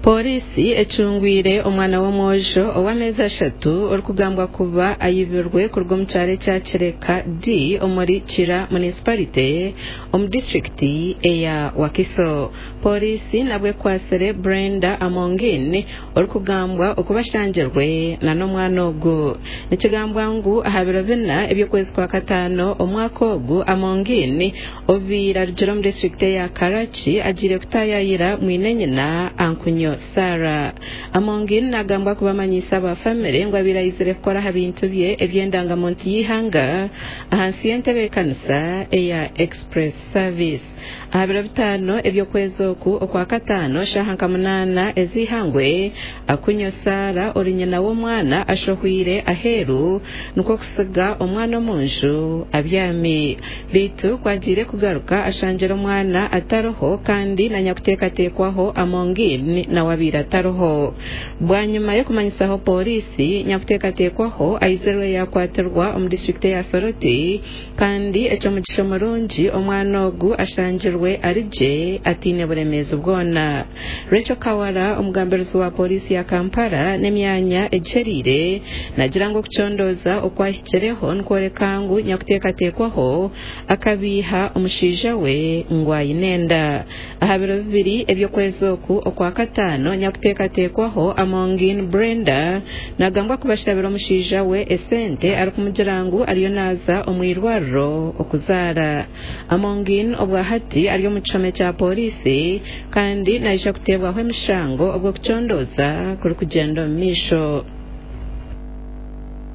Pooriisi ecungwire omwana w'omwojo ow'ameezi ashatu orikugambwa kuba ayibirwe kuruga omu kyaro ekya Kireka D omuri Kira Munisiparite omu disiturikiti eya Wakiso. Pooriisi nabwo ekwatsire Brenda Amongin orikugambwa okuba ashangirwe n'omwana ogu. Nikigambwa ngu aha biro bina eby'okwezi kwa kataano omwaka ogu, Amongin obaire arugire omu disiturikiti eya Karachi agiire kutaayayira mwine-nyina Ankunyo Sarah. Amongin nagambwa kuba amanyiise aba famire ngu abaire aizire kukora aha bintu bye eby'endangamuntu y'eihanga ahansi y'entebeekanisa eya Express Service. Aha biro bitaano eby'okwezi oku Okwakataano shaaha nka munaana ez'eihangwe, Akunyo Sarah ori nyina w'omwana ashohwire aheeru nikwo kutsiga omwana omu nju abyami. Beitu ku agiire kugaruka ashangire omwana atariho kandi na nyakuteekateekwaho Amongin nawe abaire atariho. Bwanyima y'okumanyisaho pooriisi, nyakuteekateekwaho aizirwe yaakwatirwa omu disiturikiti eya Soroti kandi eky'omugisha murungi omwana ogu ashangirwe ari gye ataine buremeezi bwona. Rachel Kawala, omugambirizi wa pooriisi ya Kampala n'emyanya egihereire naagira ngu okucondooza okwahikireho nikworeka ngu nyakuteekateekwaho akabiiha omushaija we ngu aine enda. Aha biro bibiri eby'okwezi oku Okwakataano, nyakuteekateekwaho Amongin Brenda nagambwa kuba ashabire omushaija we esente arikumugira ngu ariyo naaza omu irwariro okuzaara. Amongin obwahati ari omu kihome kya pooriisi kandi naija kuteebwaho emishango obwo okucondooza kurikugyenda omu maisho.